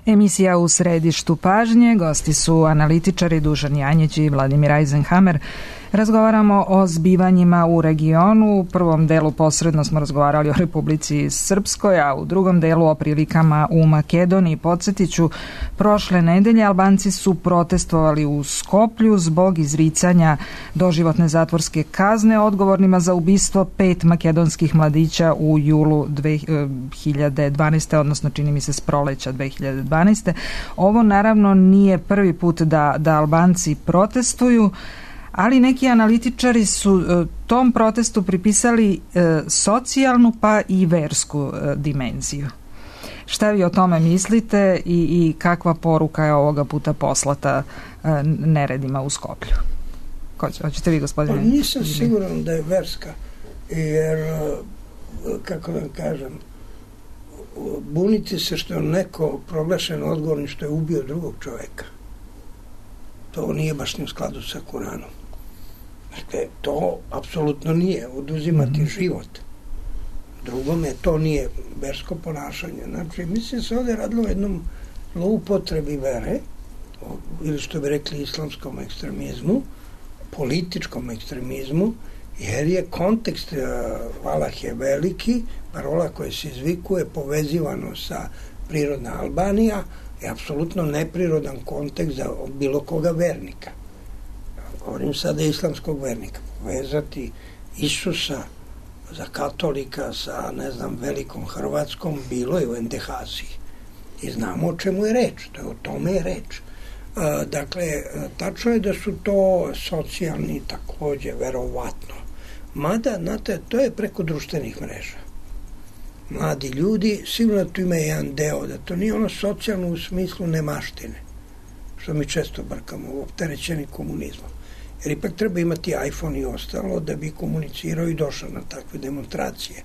Emisija U središtu pažnje, gosti su analitičari Dušan Janjić i Vladimir Eisenhammer. Razgovaramo o zbivanjima u regionu. U prvom delu posredno smo razgovarali o Republici Srpskoj, a u drugom delu o prilikama u Makedoniji. Podsjetiću, prošle nedelje Albanci su protestovali u Skoplju zbog izricanja doživotne zatvorske kazne odgovornima za ubistvo 5 makedonskih mladića u julu 2012. odnosno čini mi se s proleća 2012. Ovo naravno nije prvi put da Albanci protestuju, ali neki analitičari su tom protestu pripisali socijalnu pa i versku dimenziju. Šta vi o tome mislite i kakva poruka je ovoga puta poslata neredima u Skoplju? Hoćete vi, gospodine? Pa nisam siguran da je verska, jer, kako da kažem, buniti se što je neko proglašen odgovorni što je ubio drugog čoveka. To nije baš ni u skladu sa Kuranom. Dakle, to apsolutno nije oduzimati život. Drugome to nije versko ponašanje. Znači, mislim se ovdje radilo o jednom zloupotrebi vere ili što bi rekli islamskom ekstremizmu, političkom ekstremizmu, jer je kontekst Allah je veliki, parola koja se izvikuje povezivano sa prirodna Albanija je apsolutno neprirodan kontekst za bilo koga vernika. Govorim sada islamskog vernika. Povezati Isusa za katolika sa, ne znam, velikom Hrvatskom bilo je u Endehaziji. I znamo o čemu je reč. O tome je reč. Dakle, tačno je da su to socijalni takođe, verovatno. Mada, znate, to je preko društvenih mreža. Mladi ljudi, sigurno tu ima jedan deo, da to nije ono socijalno u smislu nemaštine, što mi često brkamo, opterećeni komunizmom. Jer ipak treba imati iPhone i ostalo da bi komunicirao i došao na takve demonstracije.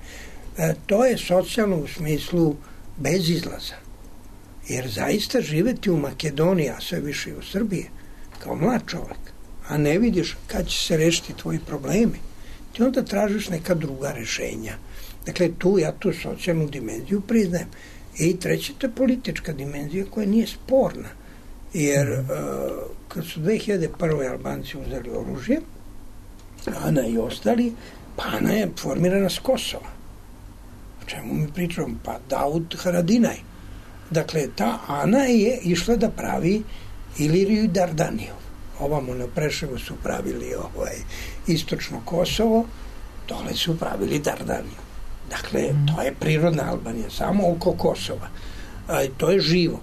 To je socijalno u smislu bez izlaza. Jer zaista živeti u Makedoniji, a sve više i u Srbiji, kao mlad čovek, a ne vidiš kad će se rešiti tvoji problemi, ti onda tražiš neka druga rešenja. Dakle, ja tu socijalnu dimenziju priznajem. I treće, to je politička dimenzija koja nije sporna. Jer kad su 2001. Albanci uzeli oružje, Ana i ostali, pa Ana je formirana s Kosova. O čemu mi pričamo? Pa Davut Haradinaj. Dakle, ta Ana je išla da pravi Iliriju i Dardaniju. Ovamo na Preševu su pravili istočno Kosovo, dole su pravili Dardaniju. Dakle, to je prirodna Albanija, samo oko Kosova. To je živo.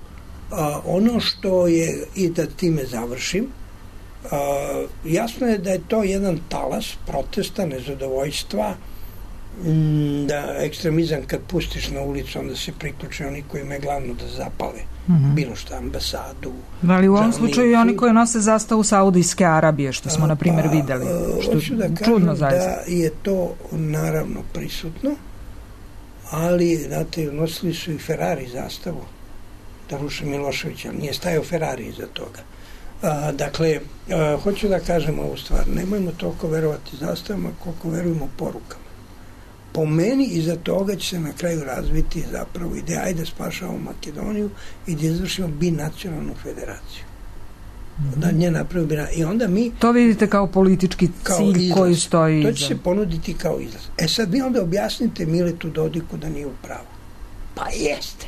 Ono što je, i da time završim, jasno je da je to jedan talas protesta, nezadovoljstva, da ekstremizam kad pustiš na ulicu, onda se priključe oni koji imaju glavno da zapale bilo šta, ambasadu. Ali u ovom slučaju i oni koji nose zastavu Saudijske Arabije, što smo na primjer videli. Hoću da kažem da je to naravno prisutno, ali, znate, nosili su i Ferrari zastavu da ruše Miloševića, ali nije stajao Ferrari iza toga. Dakle, hoću da kažem ovu stvar, nemojmo toliko verovati zastavama koliko verujemo porukama. Po meni iza toga će se na kraju razviti zapravo ideja, ajde spašavamo Makedoniju i da izvršimo binacionalnu federaciju. Da nje napravimo i onda mi... To vidite kao politički cilj izlaz, koji stoji to će se ponuditi kao izlaz. Sad vi onda objasnite Miletu Dodiku da nije u pravu. Pa jeste.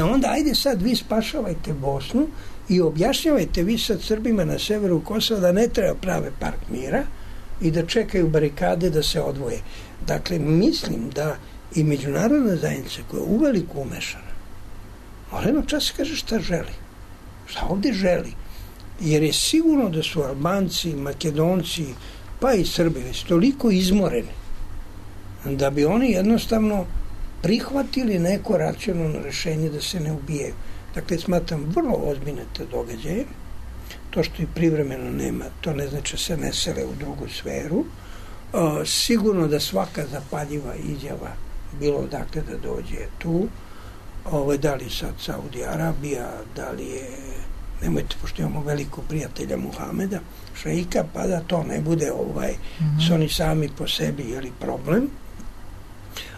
Onda ajde sad vi spašavajte Bosnu i objašnjavajte vi sad Srbima na severu Kosova da ne treba prave park mira i da čekaju barikade da se odvoje. Dakle, mislim da i međunarodna zajednica koja je uveliko umešana, mora jedno čas kaže šta želi. Šta ovde želi? Jer je sigurno da su Albanci, Makedonci, pa i Srbi već toliko izmoreni da bi oni jednostavno prihvatili neko racionalno rešenje da se ne ubijaju. Dakle, smatram vrlo ozbiljne te događaje. To što i privremeno nema, to ne znači se ne sele u drugu sferu. Sigurno da svaka zapaljiva izjava bilo odakle da dođe tu, da li sad Saudi Arabija, da li je, nemojte, pošto imamo velikog prijatelja Muhameda, šeika, pa da to ne bude su oni sami po sebi jeli problem,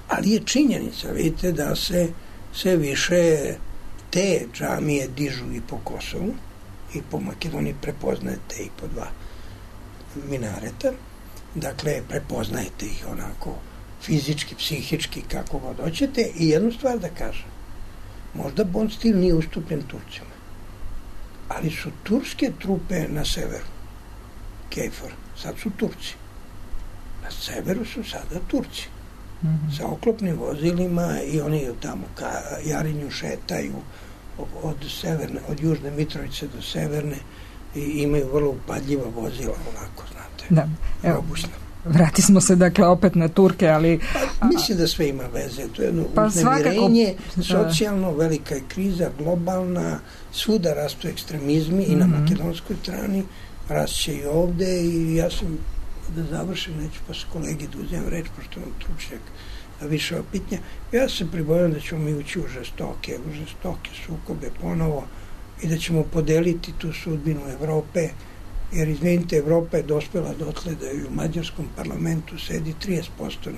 ali je činjenica, vidite, da se sve više te džamije dižu i po Kosovu i po Makedoniji, prepoznajete i po 2 minareta. Dakle, prepoznajete ih onako fizički, psihički, kako god hoćete. I jednu stvar da kažem, možda Bond stil nije ustupljen Turcima, ali su turske trupe na severu, KFOR, sad su Turci. Na severu su sada Turci. Sa oklopnim vozilima i oni tamo ka Jarinju šetaju od Južne Mitrovice do Severne i imaju vrlo upadljiva vozila, onako, znate. Da, evo, vratismo se dakle opet na Turke, ali... mislim da sve ima veze, to je jedno uznemirenje, socijalno, velika je kriza, globalna, svuda rastu ekstremizmi i na makedonskoj strani, rašće i ovde i ja sam, da završim, neću pa s kolegi da uzem reč, pošto nam stručnjak više opitnja, ja se pribojam da ćemo mi ući u žestoke sukobe ponovo i da ćemo podeliti tu sudbinu Evrope, jer izvinite, Evropa je dospela dotle da u mađarskom parlamentu sedi 30%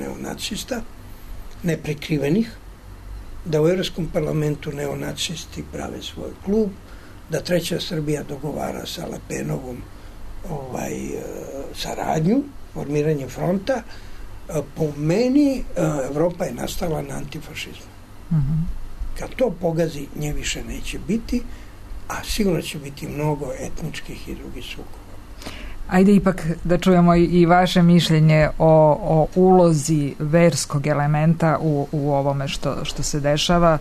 neonacista, neprikrivenih, da u Evropskom parlamentu neonacisti prave svoj klub, da Treća Srbija dogovara sa Le Penovom saradnju, formiranje fronta. Po meni Evropa je nastala na antifašizmu. Kad to pogazi, nje više neće biti, a sigurno će biti mnogo etničkih i drugih sukoba. Ajde ipak da čujemo i vaše mišljenje o ulozi verskog elementa u ovome što se dešava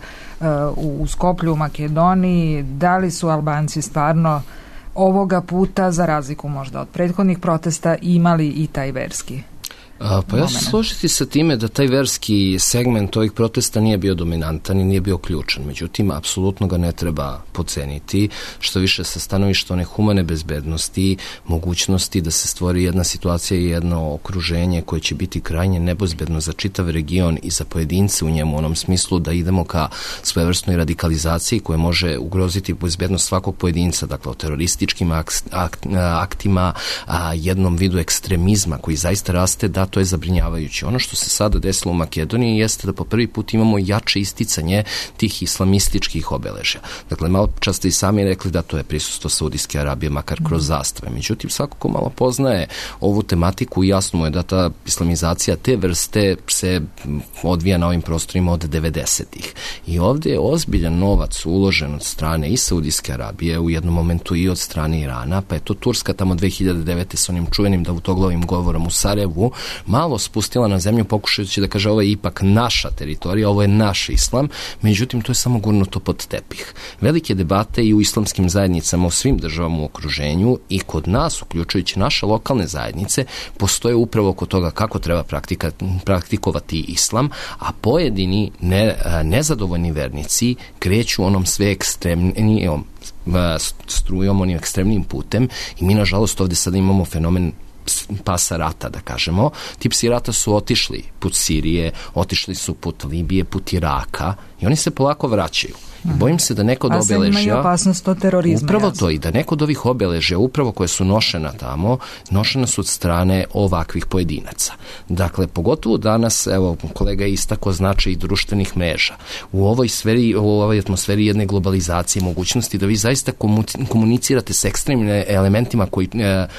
u Skoplju, u Makedoniji. Da li su Albanci stvarno ovoga puta, za razliku možda od prethodnih protesta, imali i taj verski? Pa ja se složiti sa time da taj verski segment ovih protesta nije bio dominantan i nije bio ključan. Međutim, apsolutno ga ne treba podceniti, što više sa stanovišta one humane bezbednosti, mogućnosti da se stvori jedna situacija i jedno okruženje koje će biti krajnje nebezbedno za čitav region i za pojedince u njemu, u onom smislu da idemo ka svojevrsnoj radikalizaciji koja može ugroziti bezbednost svakog pojedinca, dakle o terorističkim aktima, jednom vidu ekstremizma koji zaista raste, da to je zabrinjavajuće. Ono što se sada desilo u Makedoniji jeste da po prvi put imamo jače isticanje tih islamističkih obeležja. Dakle, malo čas ste i sami rekli da to je prisustvo Saudijske Arabije, makar kroz zastave. Međutim, svako ko malo poznaje ovu tematiku, jasno mu je da ta islamizacija te vrste se odvija na ovim prostorima od 90-ih. I ovdje je ozbiljan novac uložen od strane i Saudijske Arabije, u jednom momentu i od strane Irana, pa je to Turska tamo 2009. s onim čuvenim davutoglavim govorom u Sarajevu malo spustila na zemlju pokušajući da kaže ovo je ipak naša teritorija, ovo je naš islam, međutim to je samo gurnuto pod tepih. Velike debate i u islamskim zajednicama u svim državama u okruženju i kod nas, uključujući naše lokalne zajednice, postoje upravo oko toga kako treba praktikovati islam, a pojedini nezadovoljni vernici kreću onom sve ekstremnijom strujom, onim ekstremnim putem i mi nažalost ovdje sada imamo fenomen pasa rata, da kažemo. Ti psi rata su otišli put Sirije, otišli su put Libije, put Iraka i oni se polako vraćaju. Bojim se da neko od obeležja... imaju opasnost od terorizma. Upravo to, i da neko od ovih obeležja, upravo koje su nošena tamo, nošena su od strane ovakvih pojedinaca. Dakle, pogotovo danas, evo, kolega je istako značaj i društvenih mreža. U ovoj atmosferi jedne globalizacije, mogućnosti da vi zaista komunicirate s ekstremnim elementima koji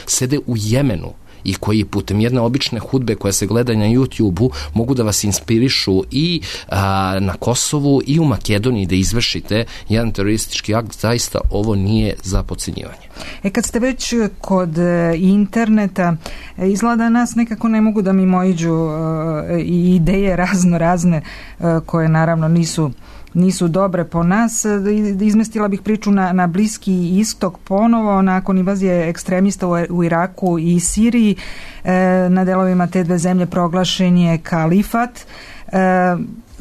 sede u Jemenu i koji putem jedne obične hudbe koja se gleda na YouTube-u mogu da vas inspirišu i na Kosovu i u Makedoniji da izvršite jedan teroristički akt, zaista ovo nije za podcenjivanje. Kad ste već kod interneta, izgleda nas nekako ne mogu da mimoiđu i ideje razne koje naravno nisu dobre po nas. Izmestila bih priču na Bliski istok ponovo nakon invazije ekstremista u Iraku i Siriji. Na delovima te dve zemlje proglašen je kalifat.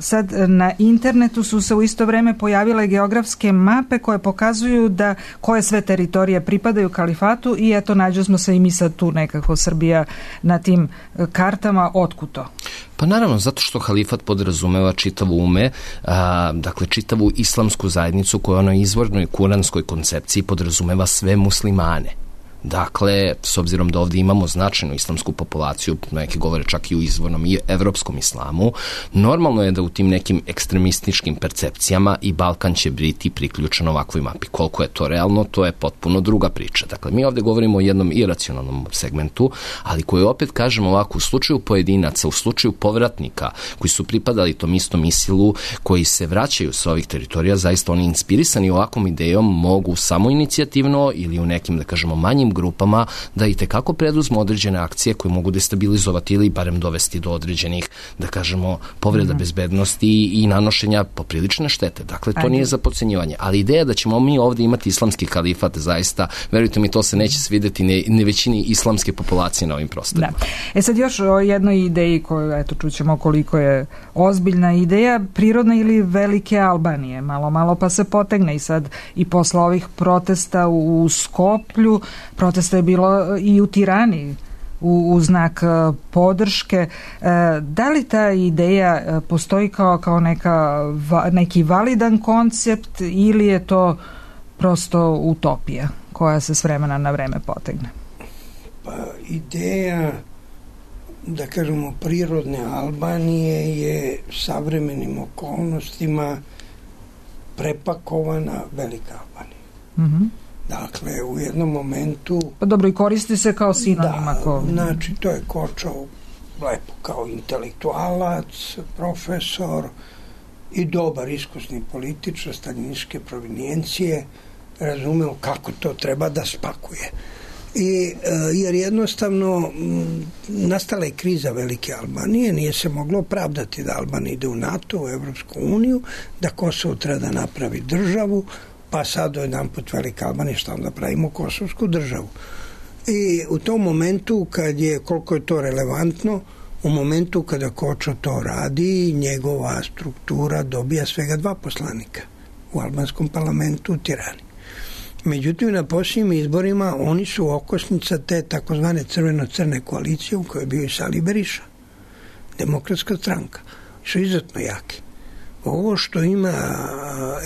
Sad na internetu su se u isto vreme pojavile geografske mape koje pokazuju da koje sve teritorije pripadaju kalifatu i eto nađo smo se i mi sad tu nekako Srbija na tim kartama. Otkud to? Pa naravno, zato što halifat podrazumeva čitavu dakle čitavu islamsku zajednicu koja onoj izvornoj kuranskoj koncepciji podrazumeva sve muslimane. Dakle, s obzirom da ovdje imamo značajnu islamsku populaciju, neki govore čak i u izvornom i evropskom islamu, normalno je da u tim nekim ekstremističkim percepcijama i Balkan će biti priključen ovakvoj mapi. Koliko je to realno, to je potpuno druga priča. Dakle, mi ovdje govorimo o jednom iracionalnom segmentu, ali koji opet kažemo ovako, u slučaju pojedinaca, u slučaju povratnika koji su pripadali tom istom ISIL-u, koji se vraćaju sa ovih teritorija, zaista oni inspirisani ovakvom idejom mogu samoinicijativno ili u nekim, da kažemo, manjim grupama da i tekako preduzmu određene akcije koje mogu destabilizovati ili barem dovesti do određenih, da kažemo, povreda bezbednosti i nanošenja poprilične štete. Dakle, to nije za podcenjivanje. Ali ideja da ćemo mi ovdje imati islamski kalifat, zaista, verujte mi, to se neće svidjeti ne većini islamske populacije na ovim prostorima. Da. Sad još o jednoj ideji koju, eto, čućemo koliko je ozbiljna ideja, prirodna ili velike Albanije. Malo pa se potegne i sad i posle ovih protesta u Skoplju, protesta je bilo i u Tirani u znak podrške. Da li ta ideja postoji kao neki validan koncept ili je to prosto utopija koja se s vremena na vreme potegne? Pa ideja, da kažemo, prirodne Albanije je savremenim okolnostima prepakovana velika Albanija. Dakle, u jednom momentu... Pa dobro, i koristi se kao sinonim. Znači, to je Kočo lepo kao intelektualac, profesor i dobar iskusni političar staljinističke provenijencije, razumeo kako to treba da spakuje. Jer jednostavno nastala je kriza Velike Albanije, nije se moglo opravdati da Albanija ide u NATO, u Evropsku uniju, da Kosovo treba da napravi državu, pa sad jedan put Velika Albanija, šta onda pravimo kosovsku državu. I u tom momentu, koliko je to relevantno, u momentu kada Kočo to radi, njegova struktura dobija svega 2 poslanika u albanskom parlamentu u Tirani. Međutim, na posljednjim izborima oni su okosnica te takozvane crveno-crne koalicije u kojoj je bio i Sali Beriša, Demokratska stranka. Su izuzetno jaki. Ovo što ima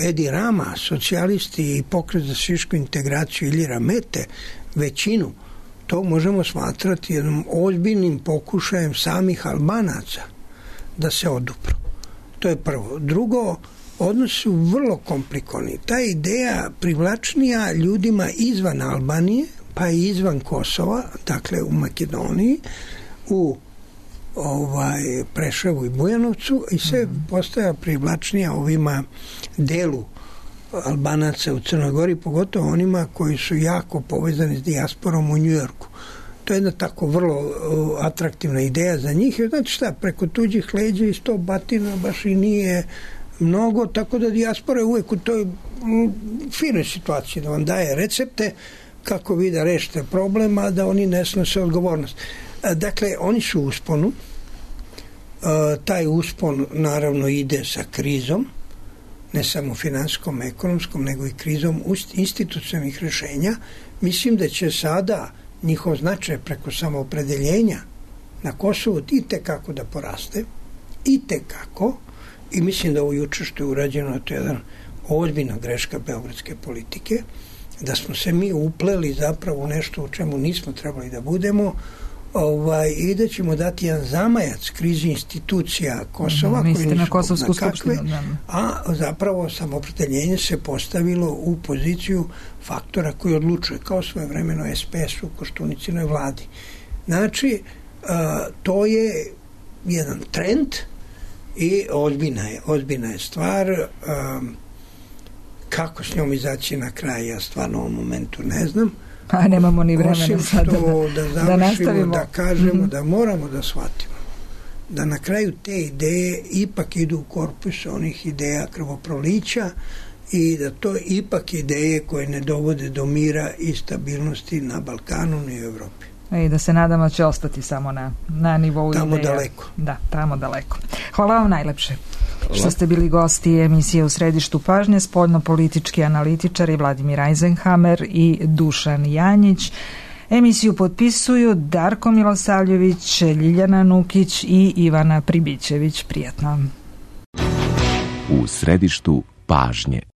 Edi Rama, socijalisti i pokret za srpsku integraciju Iljira Mete, većinu, to možemo smatrati jednom ozbiljnim pokušajem samih Albanaca da se odupru. To je prvo. Drugo, odnosi su vrlo komplikovani. Ta ideja privlačnija ljudima izvan Albanije, pa i izvan Kosova, dakle u Makedoniji, u Preševu i Bujanovcu, i sve postaja privlačnija ovima delu Albanaca u Crnoj Gori, pogotovo onima koji su jako povezani s dijasporom u Njujorku. To je jedna tako vrlo atraktivna ideja za njih. Znači šta, preko tuđih leđa i 100 batina baš i nije mnogo, tako da dijaspora je uvijek u toj finoj situaciji da vam daje recepte kako vi da rešite problem, a da oni ne snose odgovornost. Dakle, oni su u usponu. Taj uspon naravno ide sa krizom, ne samo finansijskom, ekonomskom, nego i krizom institucionalnih rješenja. Mislim da će sada njihov značaj preko samoopredeljenja na Kosovu i tekako da poraste. I tekako. I mislim da ovo juče što je urađeno, to je jedna ozbiljna greška beogradske politike, da smo se mi upleli zapravo u nešto u čemu nismo trebali da budemo, i da ćemo dati jedan zamajac krizi institucija Kosova, koji nisu kosovsku skupštinu, a zapravo samoopredeljenje se postavilo u poziciju faktora koji odlučuje, kao svojevremeno SPS u Koštunicinoj vladi. Znači, to je jedan trend i ozbiljna je stvar. Kako s njom izaći na kraj, ja stvarno u ovom momentu ne znam. A nemamo ni vremena sada da nastavimo, da kažemo da moramo da shvatimo da na kraju te ideje ipak idu u korpus onih ideja krvoprolića i da to ipak ideje koje ne dovode do mira i stabilnosti na Balkanu ni u Evropi. I da se nadamo će ostati samo na nivou tamo ideja. Daleko. Da, tamo daleko. Hvala vam najlepše. Što ste bili gosti emisije U središtu pažnje, spoljno-politički analitičari Vladimir Eisenhammer i Dušan Janjić. Emisiju potpisuju Darko Milosavljević, Ljiljana Nukić i Ivana Pribićević. Prijatno. U središtu pažnje.